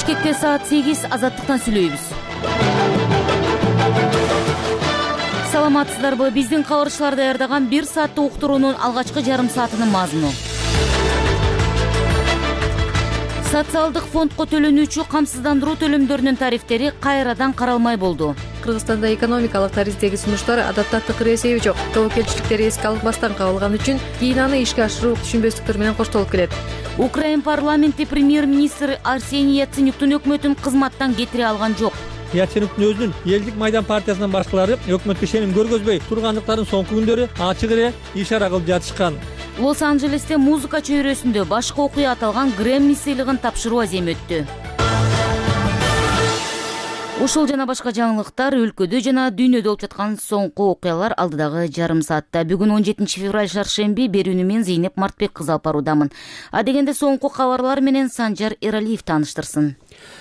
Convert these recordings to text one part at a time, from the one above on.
Бишкекте саат 8 азаттыктан сүйлөйбүз. Саламатсыздарбы? Биздин кабарчылар даярдаган 1 сааттык уктуруунун алгачкы жарым саатынын мазмуну. Социалдык фондко төлөнүүчү камсыздандыруу төлөмдөрүнүн тарифтери кайрадан каралмай болду. Кыргызстанда экономикалык тарифтеги сунуштар адатта тыкыр эсеби жок. Тобокелчиликтер эске алынбастан кабылган үчүн кийин аны ишке ашыруу түшүнбөстүктөр менен коштолуп келет. Украин парламенти премьер-министр Арсений Яценюктун өкмөтүн кызматтан кетире алган жок. Яценюктун өзүнүн Элдик Майдан партиясынын башкалары өкмөткө ишеним көргөзбөй тургандыктарын соңку күндөрү ачык эле ишара кылып жатышкан. Лос-Анджелесте музыка чөйрөсүндө башкы окуя аталган Грэмми сыйлыгын тапшыруу аземи өттү. Ушул жана башка жаңылыктар өлкөдө жана дүйнөдө болуп жаткан соңку окуялар алдыдагы жарым саатта. Бүгүн 17 февраль шаршемби, берүүнү мен Зейнеп Мартбек кызы алып баруудамын. Адегенде соңку кабарлар менен Санжар Эралиев тааныштырсын.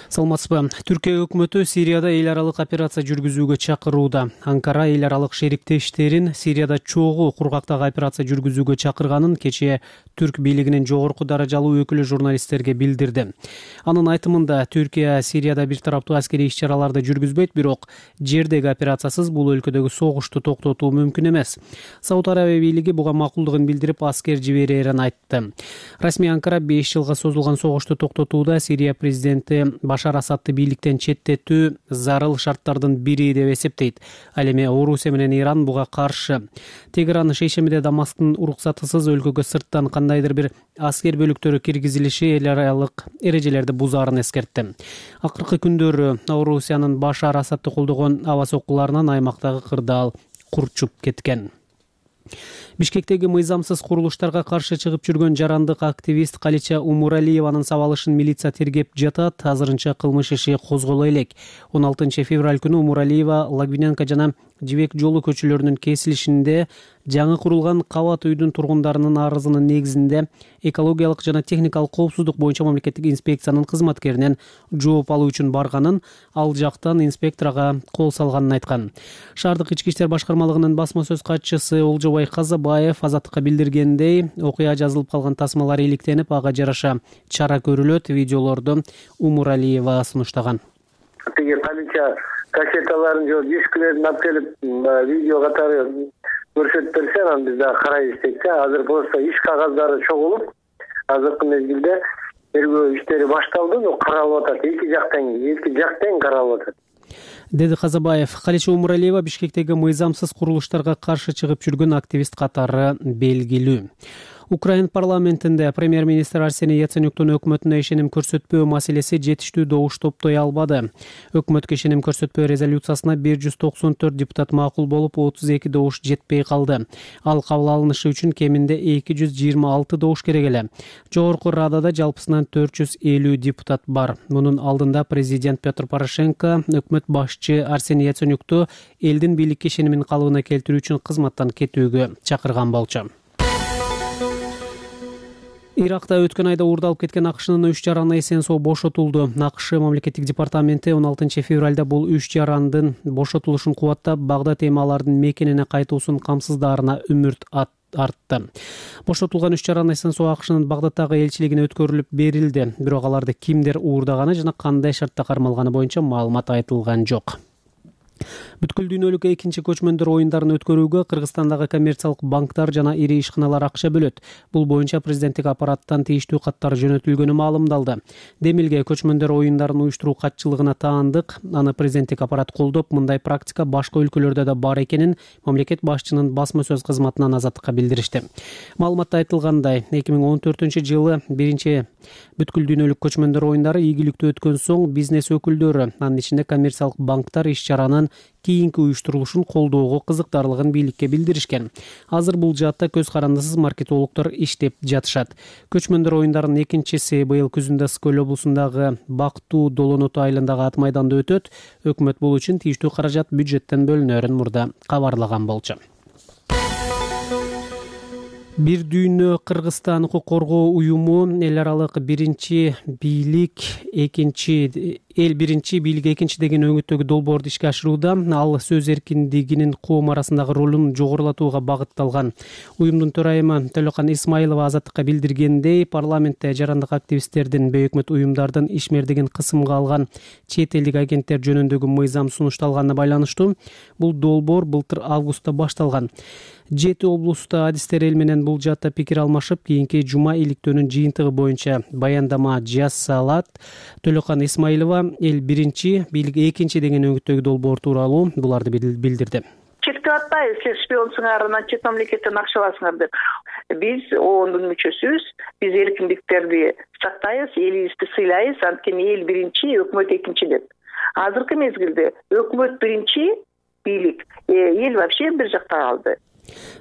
Саламатсызбы? Түркия өкмөтү Сирияда эл аралык операция жүргүзүүгө чакырууда. Анкара эл аралык шериктештерин Сирияда чогуу кургактагы операция жүргүзүүгө чакырганын кечээ түрк бийлигинин жогорку даражалуу өкүлү журналисттерге билдирди. Анын айтымында Түркия Сирияда бир тараптуу аскерий иш-чараларды жүргүзбөйт, бирок жердеги операциясыз бул өлкөдөгү согушту токтотуу мүмкүн эмес. Сауд Арабия бийлиги буга макулдугун билдирип, аскер жиберерин айтты. Расмий Анкара 5 жылга созулган согушту токтотууда Сирия президенти Башар Асадты бийликтен четтетүү зарыл шарттардын бири деп эсептейт. Ал эми Орусия менен Иран буга каршы. Тегеран шейшембиде Дамасктын уруксатысыз өлкөгө сырттан кандайдыр бир аскер бөлүктөрү киргизилиши эл аралык эрежелерди бузаарын эскертти. Акыркы күндөрү Орусиянын Башар Асадты колдогон аба соккуларынан аймактагы кырдаал курчуп кеткен. Бишкектеги мыйзамсыз курулуштарга каршы чыгып жүргөн жарандык активист Калича Умуралиеванын сабалышын милиция тергеп жатат. Азырынча кылмыш иши козголо элек. 16 февраль күнү Умуралиева Лагвиненко жана Жибек жолу көчөлөрүнүн кесилишинде жаңы курулган кабат үйдүн тургундарынын арызынын негизинде экологиялык жана техникалык коопсуздук боюнча мамлекеттик инспекциянын кызматкеринен жооп алуу үчүн барганын, ал жактан инспекторго кол салганын айткан. Шаардык ички иштер башкармалыгынын басма сөз катчысы Олжобай Казабаев Азаттыкка билдиргендей, окуя жазылып калган тасмалар иликтенип, ага жараша чара көрүлөт. Видеолорду Умуралиева сунуштаган. Кассеталарын же дискилерин алып келип видео катары көрсөтүп берсе, анан биз дагы карайбыз дейт. Азыр просто иш кагаздары чогулуп, азыркы мезгилде тергөө иштери башталды, каралып атат. Эки жактан каралып атат, деди Казабаев. Калича Умуралиева Бишкектеги мыйзамсыз курулуштарга каршы чыгып жүргөн активист катары белгилүү. Украин парламентинде премьер-министр Арсений Яценюктун өкмөтүнө ишеним көрсөтпөө маселеси жетиштүү добуш топтой албады. Өкмөткө ишеним көрсөтпөө резолюциясына 194 депутат макул болуп, 32 добуш жетпей калды. Ал кабыл алынышы үчүн кеминде 226 добуш керек эле. Жогорку Радада жалпысынан 450 депутат бар. Мунун алдында президент Петр Порошенко өкмөт башчы Арсений Яценюкту элдин бийликке ишенимин калыбына келтирүү үчүн кызматтан кетүүгө чакырган болчу. Иракта өткөн айда уурдалып кеткен АКШнын 3 жараны эсен-соо бошотулду. АКШ мамлекеттик департаменти 16 февралда бул 3 жарандын бошотулушун кубаттап, Багдад эми алардын мекенине кайтуусун камсыздаарына үмүт артты. Бошотулган 3 жаран эсен-соо АКШнын Багдадтагы элчилигине өткөрүлүп берилди. Бирок аларды кимдер уурдаганы жана кандай шартта кармалганы боюнча маалымат айтылган жок. Бүткүл дүйнөлүк экинчи көчмөндөр оюндарын өткөрүүгө Кыргызстандагы коммерциялык банктар жана ири ишканалар акча бөлөт. Бул боюнча президенттик аппараттан тийиштүү каттар жөнөтүлгөнү маалымдалды. Демилге көчмөндөр оюндарын уюштуруу катчылыгына таандык. Аны президенттик аппарат колдоп, мындай практика башка өлкөлөрдө да бар экенин мамлекет башчынын басма сөз кызматынан Азаттыкка билдиришти. Маалыматта айтылгандай, 2014-жылы биринчи бүткүл дүйнөлүк көчмөндөр оюндары ийгиликтүү өткөн соң бизнес өкүлдөрү, анын ичинде коммерциялык банктар иш-чаранын кийинки уюштурулушун колдоого кызыктарлыгын бийликке билдиришкен. Азыр бул жаатта көз карандысыз маркетологдор иштеп жатышат. Көчмөндөр оюндарынын экинчиси быйыл күзүндө Скөл облусундагы Бактуу Долоноту айылындагы ат майданда өтөт. Өкмөт бул үчүн тийиштүү каражат бюджеттен бөлүнөрүн мурда кабарлаган болчу. Бир дүйнө Кыргызстан укук коргоо уюму эл аралык биринчи бийлик, экинчи эл биринчи, бийлик экинчи деген өңүттөгү долбоорду ишке ашырууда ал сөз эркиндигинин коом арасындагы ролун жогорулатууга багытталган. Уюмдун төрайымы Төлөкан Исмаилова Азаттыкка билдиргендей, парламентте жарандык активисттердин, бейөкмөт уюмдардын ишмердигин кысымга алган чет элдик агенттер жөнүндөгү мыйзам сунушталганына байланыштуу бул долбоор былтыр августта башталган. 7 облуста адистер эл менен бул жаатта пикир алмашып, кийинки жума иликтөөнүн жыйынтыгы боюнча баяндама жасалат. Төлөкан Исмаилова эл биринчи, бийлик экинчи деген өңүттөгү долбоор тууралуу буларды билдирди. Чектеп атпайбыз, силер шпионсуңар, анан чет мамлекеттен акча аласыңар деп. Биз оондун мүчөсүбүз, биз эркиндиктерди сактайбыз, элибизди сыйлайбыз, анткени эл биринчи, өкмөт экинчи деп. Азыркы мезгилде өкмөт биринчи, бийлик, эл вообще бир жакта калды.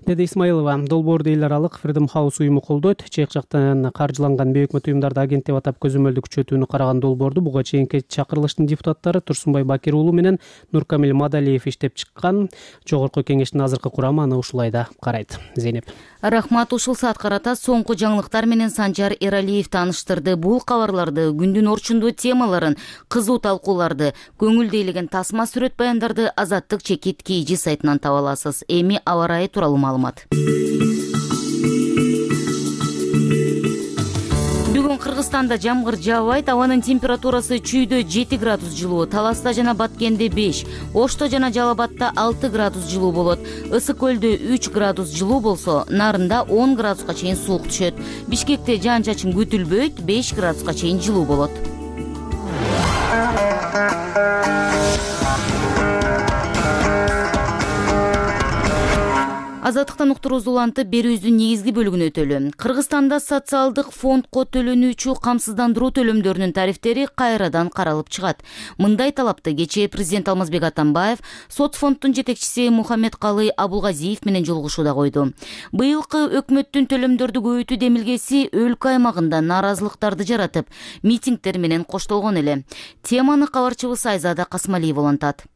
Деди Исмаилова. Долбоорду эл аралык Freedom House уюму колдойт. Чек жактан каржыланган бейөкмөт уюмдарды агент деп атап көзөмөлдү күчөтүүнү караган долбоорду буга чейинки чакырылыштын депутаттары Турсунбай Бакир уулу менен Нуркамил Мадалиев иштеп чыккан. Жогорку кеңештин азыркы курамы аны ушулай да карайт. Зейнеп. Рахмат, ушул саат карата соңку жаңылыктар менен Санжар Эралиев тааныштырды. Бул кабарларды, күндүн орчундуу темаларын, кызуу талкууларды, көңүлдүүлөгөн тасма сүрөт баяндарды Азаттык чекит KG сайтынан таба аласыз. Эми аба ырайы тууралуу маалымат. Бүгүн Кыргызстанда жамгыр жаабайт, абанын температурасы чүйдө 7 градус жылуу, Таласта жана Баткенде 5, Ошто жана Жалал Абадта 6 градус жылуу болот. Ысык көлдө 3 градус жылуу болсо, Нарында 10 градуска чейин суук түшөт. Бишкекте жаан-чачын күтүлбөйт, 5 градуска чейин жылуу болот. Азаттыктан уктуруубузду улантып, берүүбүздүн негизги бөлүгүн өтөлү. Кыргызстанда социалдык фондко төлөнүүчү камсыздандыруу төлөмдөрүнүн тарифтери кайрадан каралып чыгат. Мындай талапты кечээ президент Алмазбек Атамбаев сот фонддун жетекчиси Мухаммедкалый Абулгазиев менен жолугушууда койду. Быйылкы өкмөттүн төлөмдөрдү көбөйтүү демилгеси өлкө аймагында нааразылыктарды жаратып, митингдер менен коштолгон эле. Теманы кабарчыбыз Айзада Касмалиева улантат.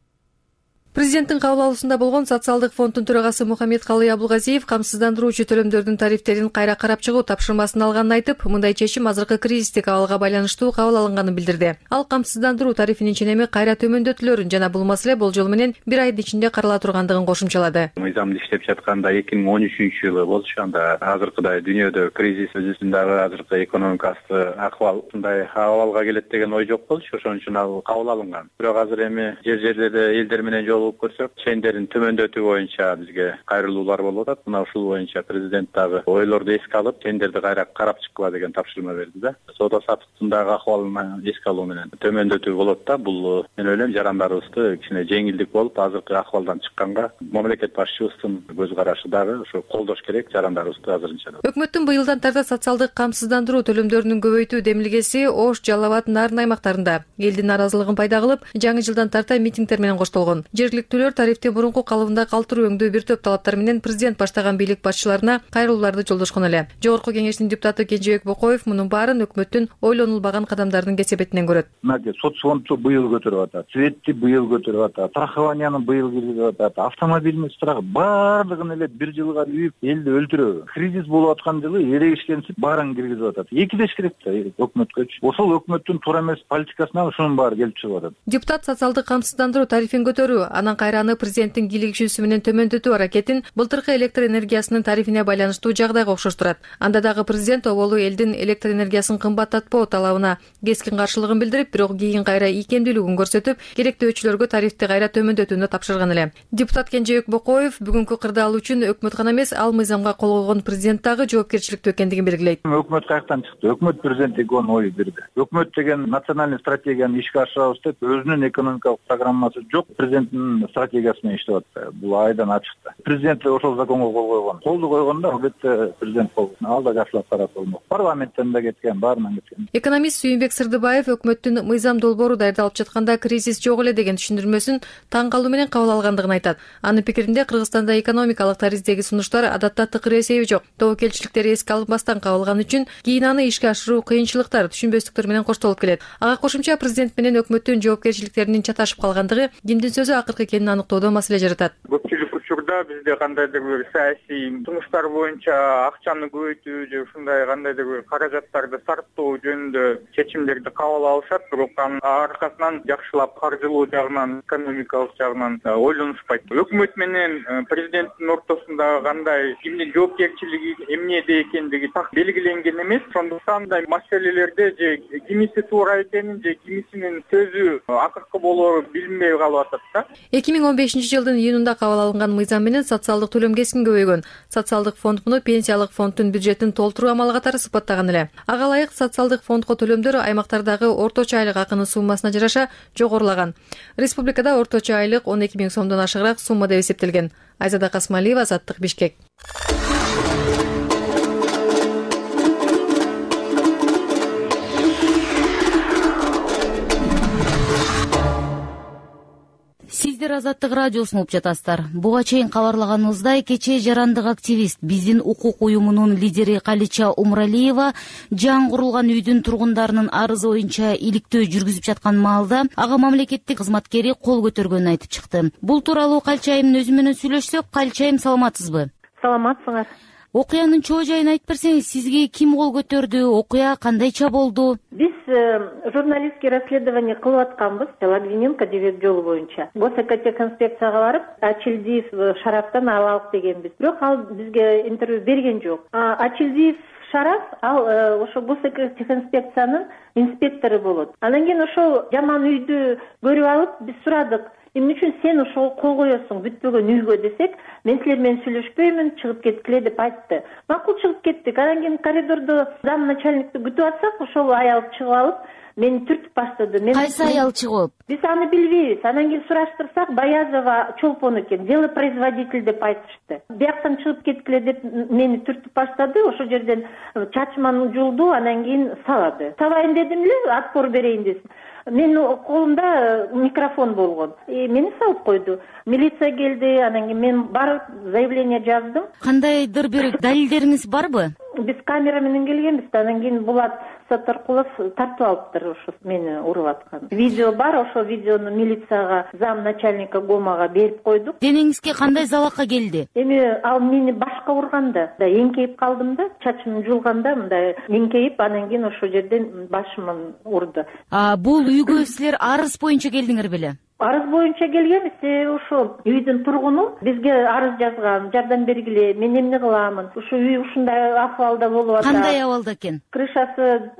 Президенттин кабыл алуусунда болгон социалдык фонддун төрагасы Мухаммедкалый Абулгазиев камсыздандыруучу төлөмдөрдүн тарифтерин кайра карап чыгуу тапшырмасын алганын айтып, мындай чечим азыркы кризистик абалга байланыштуу кабыл алынганын билдирди. Ал камсыздандыруу тарифинин ченеми кайра төмөндөтүлөрүн жана бул маселе болжол менен 1 айдын ичинде карала тургандыгын кошумчалады. Мыйзамды иштеп жатканда 2013-жылы болчу, анда азыркыдай дүйнөдө кризис өзүнүн дагы азыркы экономикасы акыбал ушундай абалга келет деген ой жок болчу, ошон үчүн ал кабыл алынган. Бирок азыр эми жер-жерлерде элдер менен көрсөк, чендерин төмөндөтүү боюнча бизге кайрылуулар болуп атат. Мына ушул боюнча президент дагы ойлорду эске алып, чендерди кайра карап чыккыла деген тапшырма берди да. Соода саттыктагы акыбалын эске алуу менен төмөндөтүү болот да. Бул мен ойлойм жарандарыбызды кичине жеңилдик болуп, азыркы акыбалдан чыкканга мамлекет башчыбыздын көз карашы дагы ушу колдош керек жарандарыбызды азырынча. Өкмөттүн быйылдан тарта социалдык камсыздандыруу төлөмдөрүнүн көбөйтүү демилгеси Ош, Жалал Абад, Нарын аймактарында элдин нааразылыгын пайда кылып, жаңы жылдан тарта митингдер менен коштолгон. Жергиликтүүлөр тарифти мурунку калыбында калтыруу өңдүү бир топ талаптар менен президент баштаган бийлик башчыларына кайрылууларды жолдошкон эле. Жогорку кеңештин депутаты Кенжебек Бокоев мунун баарын өкмөттүн ойлонулбаган кадамдардын кесепетинен көрөт. Соцфондду быйыл көтөрүп атат, светти быйыл көтөрүп атат, страхованияны быйыл киргизип атат, автомобильный страх баардыгын эле бир жылга үйүп элди өлтүрөбү. Кризис болуп аткан жылы эрегишкенсип баарын киргизип атат. Экидеш керек да өкмөткөчү. Ошол өкмөттүн туура эмес политикасынан ушунун баары келип чыгып атат. Депутат социалдык камсыздандыруу тарифин көтөрүү, анан кайра президенттин кийлигишүүсү менен төмөндөтүү аракетин былтыркы электр энергиясынын тарифине байланыштуу жагдайга окшоштурат. Анда дагы президент оболу элдин электр энергиясын кымбаттатпоо талабына кескин каршылыгын билдирип, бирок кийин кайра ийкемдүүлүгүн көрсөтүп, керектөөчүлөргө тарифти кайра төмөндөтүүнү тапшырган эле. Депутат Кенжебек Бокоев бүгүнкү кырдаал үчүн өкмөт гана эмес, ал мыйзамга кол койгон президент дагы жоопкерчиликтүү экендигин белгилейт. Өкмөт каяктан чыкты? Өкмөт президентке ой берди. Өкмөт деген национальный стратегияны ишке ашырабыз деп өзүнүн экономикалык программасы жок, президенттин стратегиясы менен иштеп атты. Бул айдан ачык. Президент ошол законго кол койгон. Колду койгондо албетте президент кол. Ал да жакшылап карап болмок. Парламенттен да кеткен, баарынан кеткен. Экономист Сүйүнбек Сырдыбаев өкмөттүн мыйзам долбоору даярдалып жатканда кризис жок эле деген түшүндүрмөсүн таң калуу менен кабыл алгандыгын айтат. Анын пикиринде Кыргызстанда экономикалык тарифтеги сунуштар адатта тыкыр эсеби жок. Тобокелчиликтер эске алынбастан кабылган үчүн кийин аны ишке ашыруу кыйынчылыктар, түшүнбөстүктөр менен коштолуп келет. Ага кошумча президент менен өкмөттүн жоопкерчиликтеринин чаташып калгандыгы кимдин сөзү акыркы экенин аныктоодо маселе жаратат. Көпчүлүк учурда учурда бизде кандайдыр бир саясий сунуштар боюнча акчаны көбөйтүү же ушундай кандайдыр бир каражаттарды сарптоо жөнүндө чечимдерди кабыл алышат, бирок анын аркасынан жакшылап каржылоо жагынан, экономикалык жагынан ойлонушпайт. Өкмөт менен президенттин ортосунда кандай кимдин жоопкерчилиги эмнеде экендиги так белгиленген эмес. Ошондуктан мындай маселелерде же кимиси туура экенин же кимисинин сөзү акыркы болоору билинбей калып атат да. 2015-жылдын июнунда кабыл алынган мыйзам менен социалдык төлөм кескин көбөйгөн. Социалдык фонд муну пенсиялык фонддун бюджетин толтуруу амалы катары сыпаттаган эле. Ага ылайык социалдык фондко төлөмдөр аймактардагы орточо айлык акынын суммасына жараша жогорулаган. Республикада орточо айлык 12 000 сомдон ашыгыраак сумма деп эсептелген. Айзада Касмалиева, Азаттык, Бишкек. Сиздер Азаттык радиосун угуп жатасыздар. Буга чейин кабарлаганыбыздай, кечээ жарандык активист, биздин укук уюмунун лидери Калича Умралиева жаңы курулган үйдүн тургундарынын арызы боюнча иликтөө жүргүзүп жаткан маалда ага мамлекеттик кызматкери кол көтөргөнүн айтып чыкты. Бул тууралуу Калича айымдын өзү менен сүйлөшсөк, Калича айым, саламатсызбы? Саламатсыңар. Окуянын чоо жайын айтып берсеңиз, сизге ким кол көтөрдү, окуя кандайча болду? Биз журналистский расследование кылып атканбыз Логвиненко жебек жолу боюнча. Госэкотехинспекцияга барып, Ачилдиев Шарафтан алалык дегенбиз. Бирок ал бизге интервью берген жок. Ачилдиев Шараф ал ошо Госэкотехинспекциянын инспектору болот. Анан кийин ошол жаман үйдү көрүп алып, биз сурадык. Эмне үчүн сен ошол кол коесуң бүтпөгөн үйгө десек, мен силер менен сүйлөшпөймүн, чыгып кеткиле деп айтты. Макул, чыгып кеттик. Анан кийин коридордо зам начальникти күтүп атсак, ошол аял чыгып алып, мени түртүп баштады. Кайсы аял чыгып? Биз аны билбейбиз. Анан кийин сураштырсак, Баязова Чолпон экен, делопроизводитель деп айтышты. Бияктан чыгып кеткиле деп мени түртүп баштады. Ошол жерден чачманы жулду, анан кийин салады. Сабайын дедим эле, отпор берейин десин. Менин колумда микрофон болгон. Мени салып койду. Милиция келди, анан кийин мен барып заявление жаздым. Кандайдыр бир далилдериңиз барбы? Биз камера менен келгенбиз, анан кийин Булат Сатаркулов тартып алыптыр ошо мени уруп аткан. Видео бар, ошо видеону милицияга, зам начальника ГОМага берип койдук. Денеңизге кандай залакка келди? Эми ал мени башка урганда, эңкейип калдым да, чачым жулганда мындай эңкейип, анан кийин ошол жерден башыман урду. Бул үйгө силер арыз боюнча келдиңер беле? Арыз боюнча келгенбиз, ошо үйдүн тургуну бизге арыз жазган, жардам бергиле, мен эмне кыламын? Ушу үй ушундай акыбалда болуп атат. Кандай абалда экен? Крышасы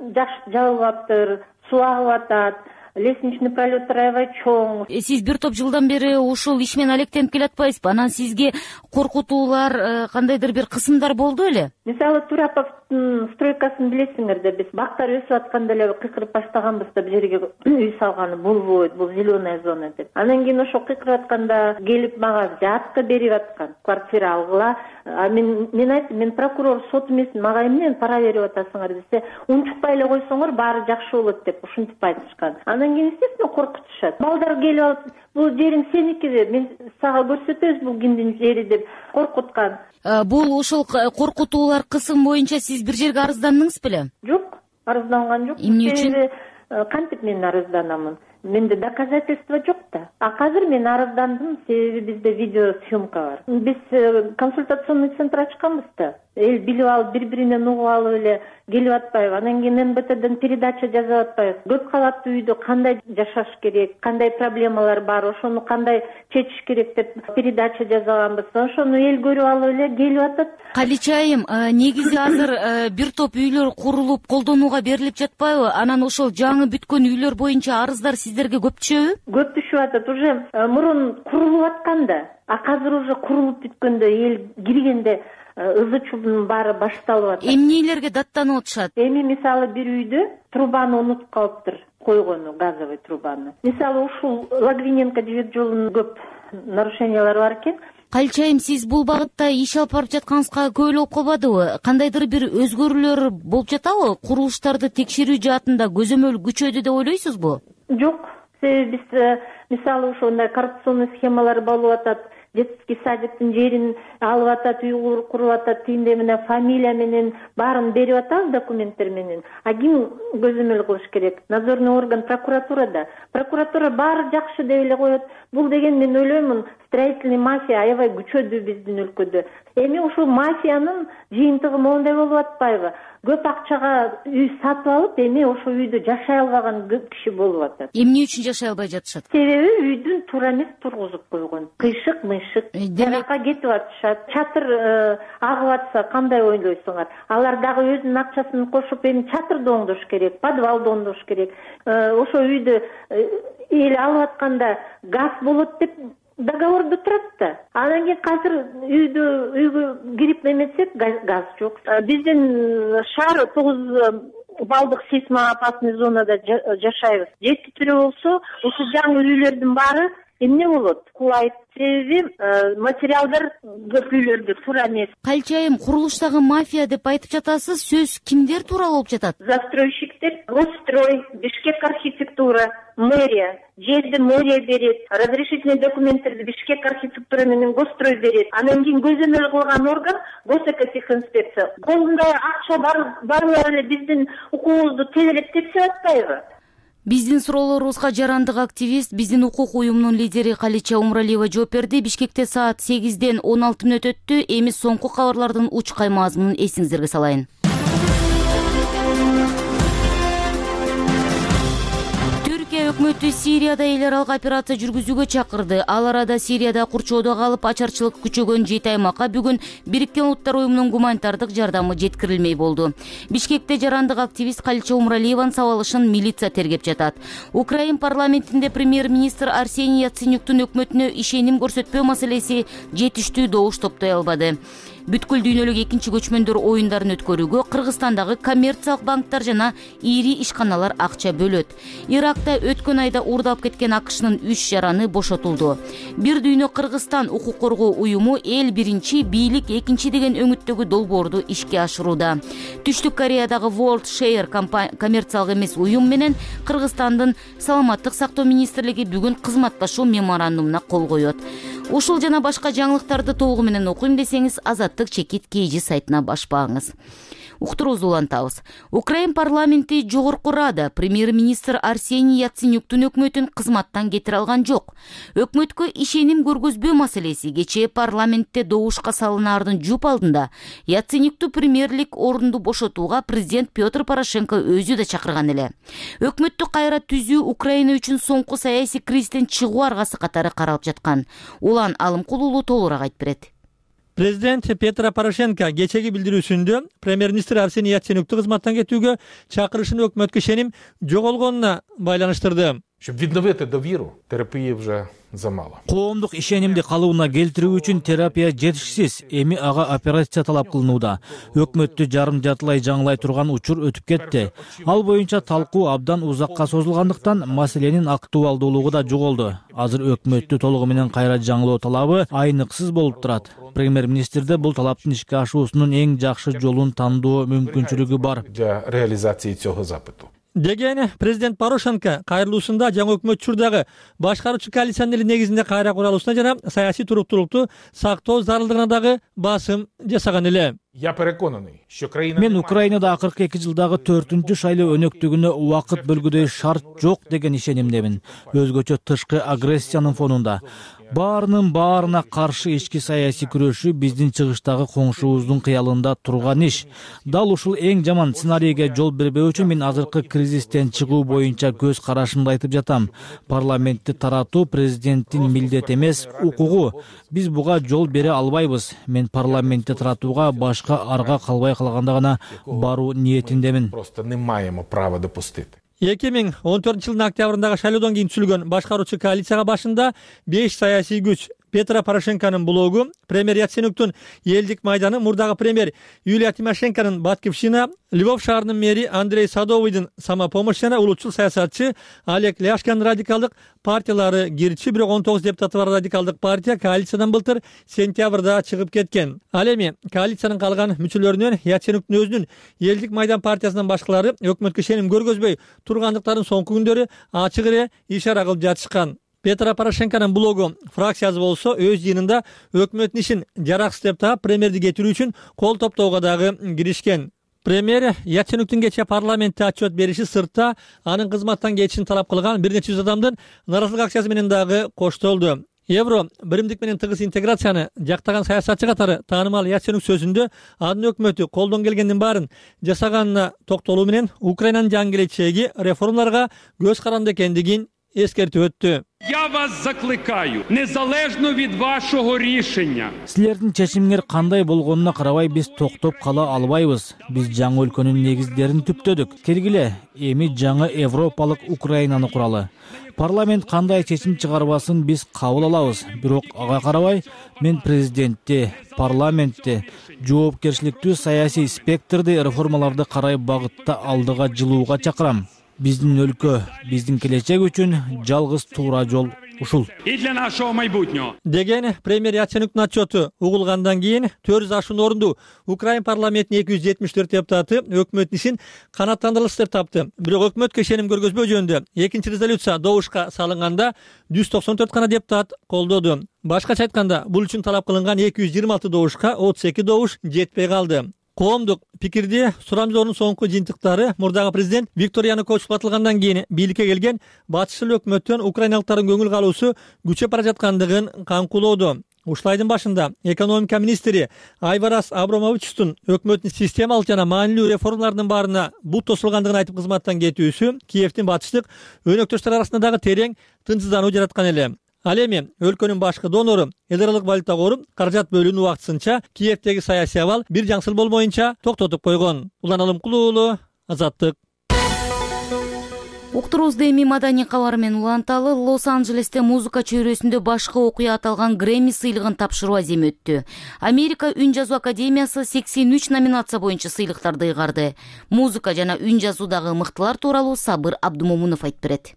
жабылыптыр, суу агып атат, лестничный пролет аябай чоң. Сиз бир топ жылдан бери ушул иш менен алектенип келатпайсызбы? Анан сизге коркутуулар, кандайдыр бир кысымдар болду беле? Мисалы, Тураповдун стройкасын билесиңер да, биз бактар өсүп атканда эле кыйкырып баштаганбыз да, бул жерге үй салганы болбойт, бул зеленая зона деп. Анан кийин ошо кыйкырып атканда келип мага жатка берип аткан, квартира алгыла. Мен айттым, мен прокурор, сот эмесмин, мага эмне пара берип атасыңар десе, унчукпай эле койсоңор баары жакшы болот деп ушинтип айтышкан. Анан кийин естественно коркутушат. Балдар келип алып, бул жериң сеники деп, мен сага көрсөтөбүз бул кимдин жери деп коркуткан. Бул ошол коркутуулар кысым боюнча сиз бир жерге арыздандыңыз беле? Жок, арызданган жок. Эмне үчүн? Кантип мен арызданамын? Менде доказательство жок да. Азыр мен арыздандым, себеби бизде видеосъемка бар. Биз консультационный центр ачканбыз да. Эл билип алып, бири-биринен угуп алып эле келип атпайбы. Анан кийин МБТден передача жазып атпайбы. Көп кабаттуу үйдө кандай жашаш керек, кандай проблемалар бар, ошону кандай чечиш керек деп передача жасаганбыз. Ошону эл көрүп алып эле келип атат. Калича айым, негизи азыр бир топ үйлөр курулуп, колдонууга берилип жатпайбы? Анан ошол жаңы бүткөн үйлөр боюнча арыздар сиздерге көп түшөбү? Көп түшүп атат. Уже мурун курулуп атканда, азыр уже курулуп бүткөндө эл киргенде ызы чуудун баары башталып атат. Эмнелерге даттанып атышат? Эми мисалы бир үйдө трубаны унутуп калыптыр, койгону, газовый трубаны. Мисалы ушул Логвиненко жибек жолунун көп нарушениялары бар экен. Калича айым, сиз бул багытта иш алып барып жатканыңызга көп эле болуп калбадыбы? Кандайдыр бир өзгөрүүлөр болуп жатабы? Курулуштарды текшерүү жаатында көзөмөл күчөдү деп ойлойсузбу? Жок, себеби биз мисалы ошондой коррупционный схемалар болуп атат. Детский садиктин жерин алып атат, үй куруп атат, тиинде менен фамилия менен баарын берип атабыз документтер менен. Ким көзөмөл кылыш керек? Надзорный орган прокуратурада. Прокуратура баары жакшы деп эле коет. Бул деген мен ойлоймун, строительный мафия аябай күчөдү биздин өлкөдө. Эми ушул мафиянын жыйынтыгы моундай болуп атпайбы? Көп акчага үй сатып алып, эми ошол үйдө жашай албаган көп киши болуп атат. Эмне үчүн жашай албай жатышат? Себеби үйдүн туура эмес тургузуп койгон. Кыйшык мыйшык жакка кетип атышат. Чатыр агып атса кандай ойлойсуңар? Алар дагы өзүнүн акчасын кошуп эми чатырды оңдош керек, подвалды оңдош керек. Ошо үйдү эл алып атканда газ болот деп договордо турат да. Анан кийин азыр үйгө кирип эметсек газ жок. Биздин шаар 9 балдык сейсмоопасный зонада жашайбыз. Жетиптири болсо, ушул жаңы үйлөрдүн баары эмне болот? Кулайт. Себеби материалдар көп үйлөрдө туура эмес. Калча айым курулуштагы мафия деп айтып жатасыз. Сөз кимдер тууралуу болуп жатат? Застройщиктер, Госстрой, Бишкек архитектура, мэрия. Жерди мэрия берет, разрешительный документтерди Бишкек архитектура менен Госстрой берет. Анан кийин көзөмөл кылган орган госэкотехинспекция. Колунда акча барлар эле биздин укугубузду тезирээк тепсип атпайбы? Биздин суроолорубузга жарандык активист, биздин укук уюмунун лидери Калича Умралиева жооп берди. Бишкекте саат 8-ден 16 мүнөт өттү. Эми соңку кабарлардын учкай мазмунун эсиңиздерге салайын. Өкмөтү Сирияда эл аралык операция жүргүзүүгө чакырды. Ал арада Сирияда курчоодо калып ачарчылык күчөгөн 7 аймакка бүгүн Бириккен Улуттар уюмунун гуманитардык жардамы жеткирилмей болду. Бишкекте жарандык активист Калича Умралиеванын сабалышын милиция тергеп жатат. Украин парламентинде премьер-министр Арсений Яценюктун өкмөтүнө ишеним көрсөтпөө маселеси жетиштүү добуш топтой албады. Бүткүл дүйнөлүк экинчи көчмөндөр оюндарын өткөрүүгө Кыргызстандагы коммерциялык банктар жана ири ишканалар акча бөлөт. Иракта өткөн айда уурдап кеткен АКШнын 3 жараны бошотулду. Бир дүйнө Кыргызстан укук коргоо уюму эл биринчи, бийлик экинчи деген өңүттөгү долбоорду ишке ашырууда. Түштүк Кореядагы World Share коммерциялык эмес уюм менен Кыргызстандын саламаттык сактоо министрлиги бүгүн кызматташуу меморандумуна кол коет. Ушул жана башка жаңылыктарды толугу менен окуйм десеңиз, Азаттык чекит KG сайтына баш багыңыз. Уктуруубузду улантабыз. Украин парламенти жогорку рада премьер-министр Арсений Яценюктун өкмөтүн кызматтан кетире алган жок. Өкмөткө ишеним көргөзбөө маселеси кечээ парламентте добушка салынаардын жуп алдында Яценюкту премьерлик орунду бошотууга президент Петр Порошенко өзү да чакырган эле. Өкмөттү кайра түзүү Украина үчүн соңку саясий кризистен чыгуу аргасы катары каралып жаткан. Улан Алымкулуулу толугураак айтып берет. Президент Петр Порошенко кечеги билдирүүсүндө премьер-министр Арсений Яценюкту кызматтан кетүүгө чакырышын өкмөткө ишеним жоголгонуна байланыштырды. Щоб відновити довіру, терапії вже замало. Коомдук ишенимди калыбына келтирүү үчүн терапия жетишсиз. Эми ага операция талап кылынууда. Өкмөттү жарым жартылай жаңылай турган учур өтүп кетти. Ал боюнча талкуу абдан узакка созулгандыктан маселенин актуалдуулугу да жоголду. Азыр өкмөттү толугу менен кайра жаңылоо талабы айныксыз болуп турат. Премьер-министрде бул талаптын ишке ашуусунун эң жакшы жолун тандоо мүмкүнчүлүгү бар. Для реализації цього запиту. Деген президент Порошенко кайрылуусунда жаңы өкмөт учурдагы башкаруучу коалициянын эли негизинде кайра куралуусуна жана саясий туруктуулукту сактоо зарылдыгына дагы басым жасаган эле. Я переконаний, що країна Мен Украинада акыркы 2 жылдагы 4-чү шайлоо өнөктүгүнө убакыт бөлгүдөй шарт жок деген ишенимдемин. Өзгөчө тышкы агрессиянын фонунда. Баарынын баарына каршы ички саясий күрөшүү биздин чыгыштагы коңшубуздун кыялында турган иш. Дал ушул эң жаман сценарийге жол бербөө үчүн мен азыркы кризистен чыгуу боюнча көз карашымды айтып жатам. Парламентти таратуу президенттин милдети эмес, укугу. Биз буга жол бере албайбыз. Мен парламентти таратууга башка арга калбай калганда гана баруу ниетиндемин. Просто не маємо права допустити. 2014 жылдын октябрындагы шайлоодон кийин түзүлгөн башкаруучу коалицияга башында 5 саясий күч Петр Порошенконун блогу, премьер Яценюктун элдик майданы, мурдагы премьер Юлия Тимошенконун Батькивщина, Львов шаарынын мэри Андрей Садовыйдын Самопомощь жана улутчул саясатчы Олег Ляшканын радикалдык партиялары кирчи, бирок 19 депутаты бар радикалдык партия коалициядан былтыр сентябрда чыгып кеткен. Ал эми коалициянын калган мүчөлөрүнөн Яценюктун өзүнүн элдик майдан партиясынын башкалары өкмөткө ишеним көргөзбөй тургандыктарын соңку күндөрү ачык эле ишара кылып жатышкан. Петр Порошенконун блогу фракциясы болсо өз жыйынында өкмөттүн ишин жараксыз деп таап премьерди кетирүү үчүн кол топтоого дагы киришкен. Премьер Яценюктун кечээ парламентте отчет бериши сыртта анын кызматтан кетишин талап кылган бир нече жүз адамдын нааразылык акциясы менен дагы коштолду. Евро биримдик менен тыгыз интеграцияны жактаган саясатчы катары таанымал Яценюк сөзүндө анын өкмөтү колдон келгендин баарын жасаганына токтолуу менен Украинанын жаңы келечеги реформаларга көз каранды экендигин эскертип өттү. Я вас закликаю, незалежно від вашого рішення. Силердин чечимиңер кандай болгонуна карабай биз токтоп кала албайбыз. Биз жаңы өлкөнүн негиздерин түптөдүк. Келгиле, эми жаңы европалык Украинаны куралы. Парламент кандай чечим чыгарбасын биз кабыл алабыз. Бирок ага карабай мен президентти, парламентти, жоопкерчиликтүү саясий спектрди реформаларды карай багытта алдыга жылууга чакырам. Биздин өлкө, биздин келечек үчүн жалгыз туура жол ушул. І для нашого майбутнього. Деген премьер Яценюктун отчету угулгандан кийин 400 ашуун орунду Украин парламентинин 274 депутаты өкмөттүн ишин канааттандырылыш деп тапты. Бирок өкмөткө ишеним көргөзбөө жөнүндө экинчи резолюция добушка салынганда 194 гана депутат колдоду. Башкача айтканда, бул үчүн талап кылынган 226 добушка 32 добуш жетпей калды. Коомдук пикирди сурамжоонун соңку жыйынтыктары мурдагы президент Виктор Янукович батылгандан кийин бийликке келген батышчыл өкмөттөн украиналыктардын көңүл калуусу күчөп бара жаткандыгын камкулоодо. Ушул айдын башында экономика министри Айварас Абрамовичтун өкмөттүн системалык жана маанилүү реформаларынын баарына бут тосулгандыгын айтып кызматтан кетүүсү Киевдин батыштык өнөктөштөр арасында дагы терең тынчсыздануу жараткан эле. Ал эми өлкөнүн башкы донору эл аралык валюта кору каражат бөлүүнү убактысынча Киевдеги саясий абал бир жаңсыл болмоюнча токтотуп койгон. Улан Алымкулуу уулу, Азаттык. Уктуруубузду эми маданий кабар менен уланталы. Лос-Анджелесте музыка чөйрөсүндө башкы окуя аталган Грэмми сыйлыгын тапшыруу аземи өттү. Америка үн жазуу академиясы 83 номинация боюнча сыйлыктарды ыйгарды. Музыка жана үн жазуудагы мыктылар тууралуу Сабыр Абдумомунов айтып берет.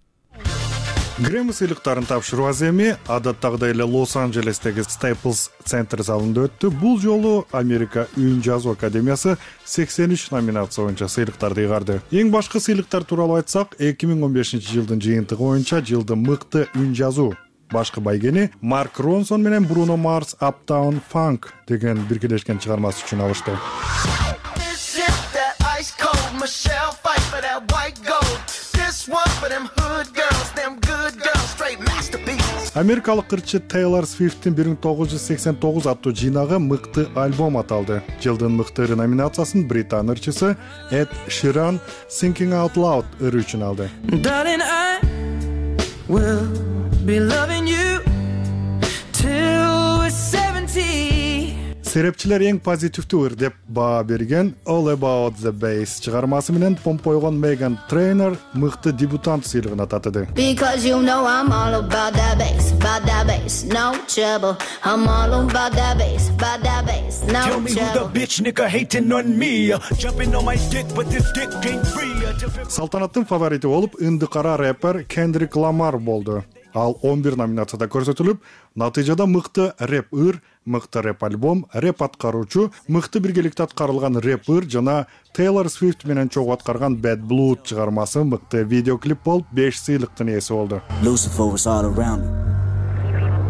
Грэмми сыйлыктарын тапшыруу аземи адаттагыдай эле Лос-Анджелестеги Staples Center залында өттү. Бул жолу Америка үн жазуу академиясы 83 номинация боюнча сыйлыктарды ыйгарды. Эң башкы сыйлыктар тууралуу айтсак, 2015-жылдын жыйынтыгы боюнча жылдын мыкты үн жазуу башкы байгени Марк Ронсон менен Бруно Марс Uptown Funk деген биргелешкен чыгармасы үчүн алышты. Америкалык кырчы Тейлор Свифттин 1989 аттуу жыйнагы мыкты альбом аталды. Жылдын мыкты ыры номинациясын британ ырчысы Эд Ширан Singing Out Loud ыры үчүн алды. Серепчилер эң позитивдүү ыр деп баа берген All About the Bass чыгармасы менен помпойгон Меган Трейнер мыкты дебютант сыйлыгына татыды. Because you know I'm all about that bass, no trouble. I'm all about that bass, no trouble. Tell me who the bitch nigga hating on me, jumping on my dick but this dick ain't free. Салтанаттын фаворити болуп ындыкара рэпер Кендрик Ламар болду. Ал 11 номинацияда көрсөтүлүп, натыйжада мыкты рэп ыр, мыкты рэп альбом, рэп аткаруучу, мыкты биргеликте аткарылган рэп ыр жана Тейлор Свифт менен чогуу аткарган Bad Blood чыгармасы мыкты видеоклип болуп 5 сыйлыктын ээси болду.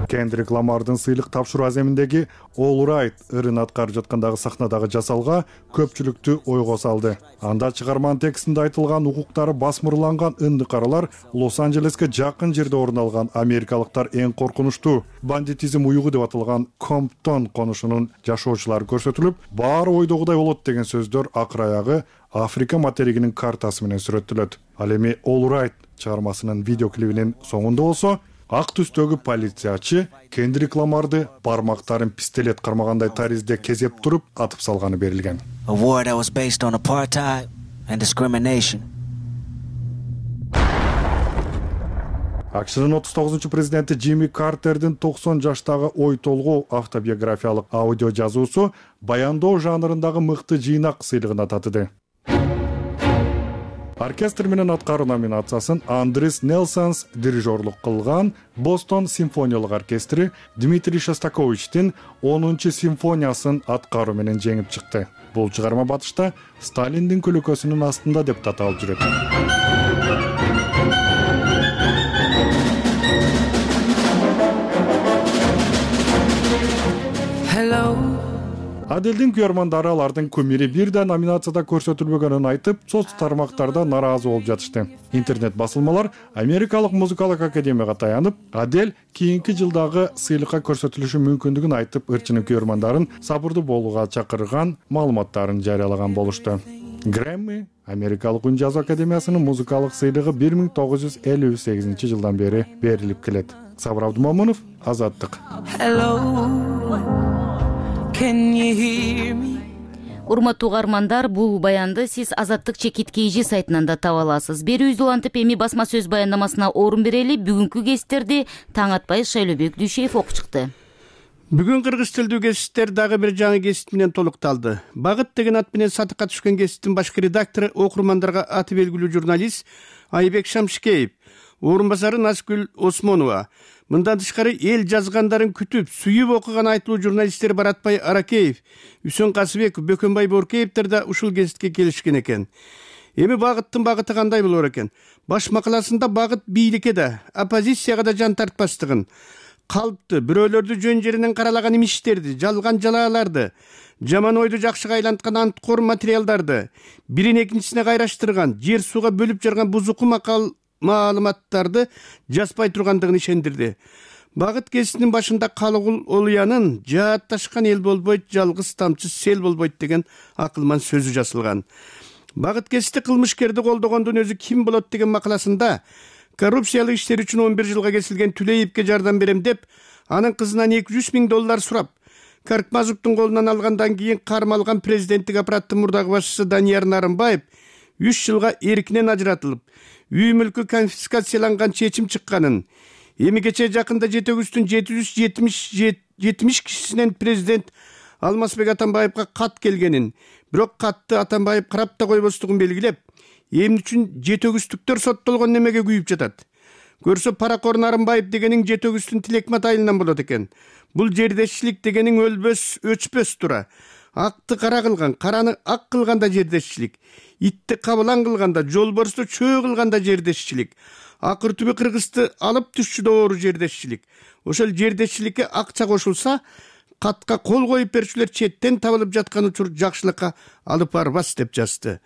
Кендрик Ламардын сыйлык тапшыруу аземиндеги All Right ырын аткарып жаткандагы сахнадагы жасалга көпчүлүктү ойго салды. Анда чыгарманын текстинде айтылган укуктары басмырланган ындыкаралар Лос-Анджелеске жакын жерде орун алган америкалыктар эң коркунучтуу бандитизм уюгу деп аталган Комптон конушунун жашоочулары көрсөтүлүп, баары ойдогудай болот деген сөздөр акыр аягы Африка материгинин картасы менен сүрөттөлөт. Ал эми All Right чыгармасынын видеоклибинин соңунда болсо ак түстөгү полициячы Кендрик Ламарды бармактарын пистолет кармагандай таризде кезеп туруп атып салганы берилген. A war that was based on apartheid and discrimination. АКШнын 39-чу президенти Джимми Картердин 90 жаштагы ой толгоо автобиографиялык аудио жазуусу баяндоо жанрындагы мыкты жыйнак сыйлыгына татыды. Оркестр менен аткаруу номинациясын Андрис Нелсонс дирижерлук кылган Бостон симфониялык оркестри Дмитрий Шостаковичтин 10-чу симфониясын аткаруу менен жеңип чыкты. Бул чыгарма батышта Сталиндин көлөкөсүнүн астында деп таталып жүрөт. Hello, Аделдин күйөрмандары алардын кумири бир да номинацияда көрсөтүлбөгөнүн айтып, соц тармактарда нааразы болуп жатышты. Интернет басылмалар Америкалык музыкалык академияга таянып, Адел кийинки жылдагы сыйлыкка көрсөтүлүшү мүмкүндүгүн айтып, ырчынын күйөрмандарын сабырдуу болууга чакырган маалыматтарын жарыялаган болушту. Грэмми Америкалык үн жазуу академиясынын музыкалык сыйлыгы 1958 жылдан бери берилип келет. Сабыр Абдумамунов, Азаттык. Урматтуу угармандар, бул баянды сиз Азаттык чекит KG сайтынан да таба аласыз. Берүүбүздү улантып эми басма сөз баяндамасына орун берели. Бүгүнкү кесиптерди таң атпай Шайлообек Дүйшеев окуп чыкты. Бүгүн кыргыз тилдүү кесиптер дагы бир жаңы кесип менен толукталды. Багыт деген ат менен сатыкка түшкөн кесиптин башкы редактору окурмандарга аты белгилүү журналист Айбек Шамшикеев, орун басары Назгүл Осмонова. Мындан тышкары эл жазгандарын күтүп, сүйүп окуган айтылуу журналисттер Баратбай Аракеев, Үсөн Касыбек, Бөкөнбай Боркеевтер да ушул кесипке келишкен экен. Эми Багыттын багыты кандай болор экен? Баш макаласында Багыт бийликке да, оппозицияга да жан тартпастыгын, калпты, бирөөлөрдү жөн жеринен каралаган имиштерди, жалган жалааларды, жаман ойду жакшыга айланткан анткор материалдарды, бирин экинчисине кайраштырган, жер сууга бөлүп жарган бузуку маалыматтарды жазбай тургандыгын ишендирди. Багыт кесиптин башында Калыгул Олуянын жаатташкан эл болбойт, жалгыз тамчы сел болбойт деген акылман сөзү жазылган. Багыт кесипти кылмышкерди колдогондун өзү ким болот деген макаласында коррупциялык иштер үчүн 11 жылга кесилген Түлеевке жардам берем деп, анын кызынан $200,000 сурап, Каркмазовдун колунан алгандан кийин кармалган президенттик аппараттын мурдагы башчысы Данияр Нарымбаев 3 жылга эркинен ажыратылып, үй мүлкү конфискацияланган чечим чыкканын, эми кече жакында жетөгүстүн 770 кишисинен президент Алмазбек Атамбаевга кат келгенин, бирок катты Атамбаев карап да койбостугун белгилеп, эмне үчүн жетөгүстүктөр соттолгон немеге күйүп жатат. Көрсө паракор Нарымбаев дегениң жетөгүстүн Тилекмат айылынан болот экен. Бул жердешчилик дегениң өлбөс, өчпөс тура. Акты кара кылган, караны ак кылганда жердешчилик. Итти кабылан кылганда, жолборсту чөө кылганда жердешчилик. Акыр түбү кыргызды алып түшчү доору жердешчилик. Ошол жердешчиликке акча кошулса, катка кол коюп берүүчүлөр четтен табылып жаткан учур жакшылыкка алып барбас деп жазды.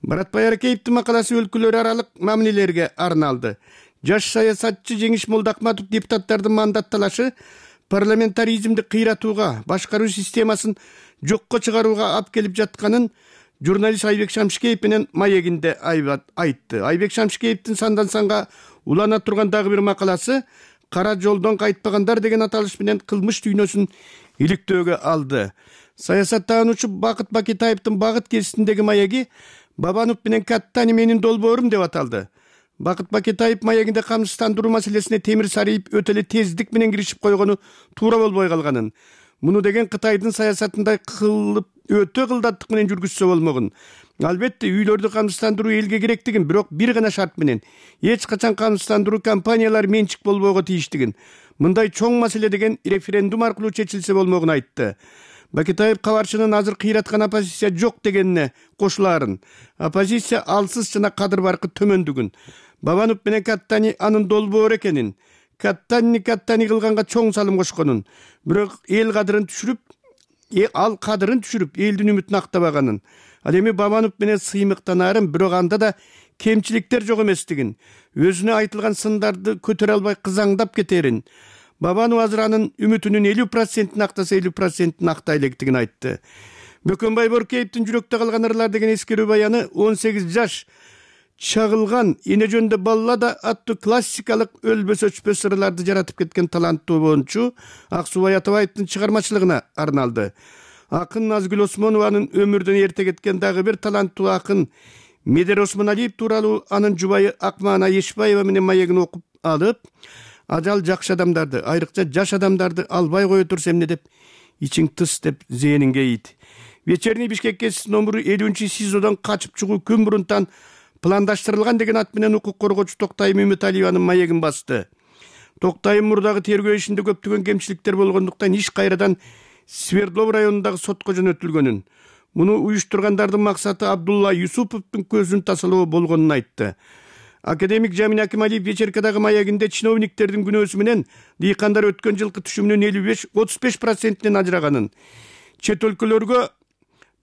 Баратбай Аракеевдин макаласы өлкөлөр аралык мамилелерге арналды. Жаш саясатчы Жеңиш Молдакматов депутаттардын мандатталашы парламентаризмди кыйратууга, башкаруу системасын жокко чыгарууга алып келип жатканын журналист Айбек Шамшикеев менен маегинде айтты. Айбек Шамшикеевдин сандан санга улана турган дагы бир макаласы кара жолдон кайтпагандар деген аталыш менен кылмыш дүйнөсүн иликтөөгө алды. Саясаттануучу Бакыт Бакетаевдин Багыт кесиптиндеги маеги Бабанов менен Каттани менин долбоорум деп аталды. Бакыт Бакетаев маегинде камсыздандыруу маселесине темир сарыйып өтө эле тездик менен киришип койгону туура болбой калганын, муну деген Кытайдын саясатындай кылып өтө кылдаттык менен жүргүзсө болмогун. Албетте үйлөрдү камсыздандыруу элге керектигин, бирок бир гана шарт менен эч качан камсыздандыруу компаниялар менчик болбойго тийиштигин, мындай чоң маселе деген референдум аркылуу чечилсе болмогун айтты. Бакетаев кабарчынын азыр кыйраткан оппозиция жок дегенине кошулаарын, оппозиция алсыз жана кадыр баркы төмөндүгүн, Бабанов менен Каттани анын долбоору экенин, Каттани кылганга чоң салым кошконун, бирок эл кадырын түшүрүп, элдин үмүтүн актабаганын, ал эми Бабанов менен сыймыктанаарын, бирок анда да кемчиликтер жок эместигин, өзүнө айтылган сындарды көтөрө албай кызаңдап кетерин, Бабанов азыр анын үмүтүнүн 50%-ин актаса 50%-ин актай электигин айтты. Бөкөнбай Боркеевдин жүрөктө калган ырлар деген эскерүү баяны 18 жаш чагылган эне жөнүндө баллада аттуу классикалык өлбөс өчпөс ырларды жаратып кеткен таланттуу обончу Аксубай Атабаевдин чыгармачылыгына арналды. Акын Назгүл Осмонованын өмүрдөн эрте кеткен дагы бир таланттуу акын Медер Осмоналиев тууралуу анын жубайы Акмана Ешбаева менен маегин окуп алып, ажал жакшы адамдарды, айрыкча жаш адамдарды албай кое турса эмне деп ичиң тыс деп зээнинге ийди. Вечерний Бишкек кесиптин номуру 50 СИЗОдон качып чыгуу күн мурунтан пландаштырылган деген ат менен укук коргоочу Токтайым Үмүталиеванын маегин басты. Токтайым мурдагы тергөө ишинде көптөгөн кемчиликтер болгондуктан иш кайрадан Свердлов районундагы сотко жөнөтүлгөнүн, муну уюштургандардын максаты Абдулла Юсуповдун көзүн тасалоо болгонун айтты. Академик Жамин Акималиев вечеркадагы маегинде чиновниктердин күнөөсү менен дыйкандар өткөн жылкы түшүмүнүн 35% ажыраганын, чет өлкөлөргө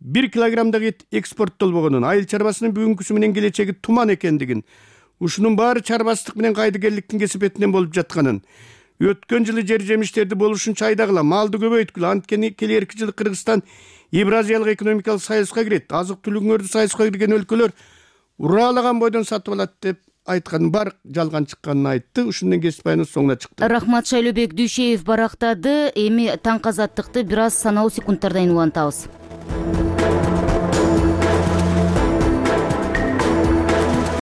1 килограммдагы эт экспорттолбогонун, айыл чарбасынын бүгүнкүсү менен келечеги туман экендигин, ушунун баары чарбачылык менен кайдыгерликтин кесипетинен болуп жатканын, өткөн жылы жер жемиштерди болушунча айдагыла, малды көбөйткүлө, анткени келерки жылы Кыргызстан Евразиялык экономикалык союзга кирет, азык-түлүгүңөрдү союзга кирген өлкөлөр ураалаган бойдон сатып алат деп айтканын бар жалган чыкканын айтты. Ушунден кесип баяныбыз соңуна чыкты. Рахмат, Шайлообек Дүйшеев барактады. Эми таңкы азаттыкты бир аз саналуу секундтардан улантабыз.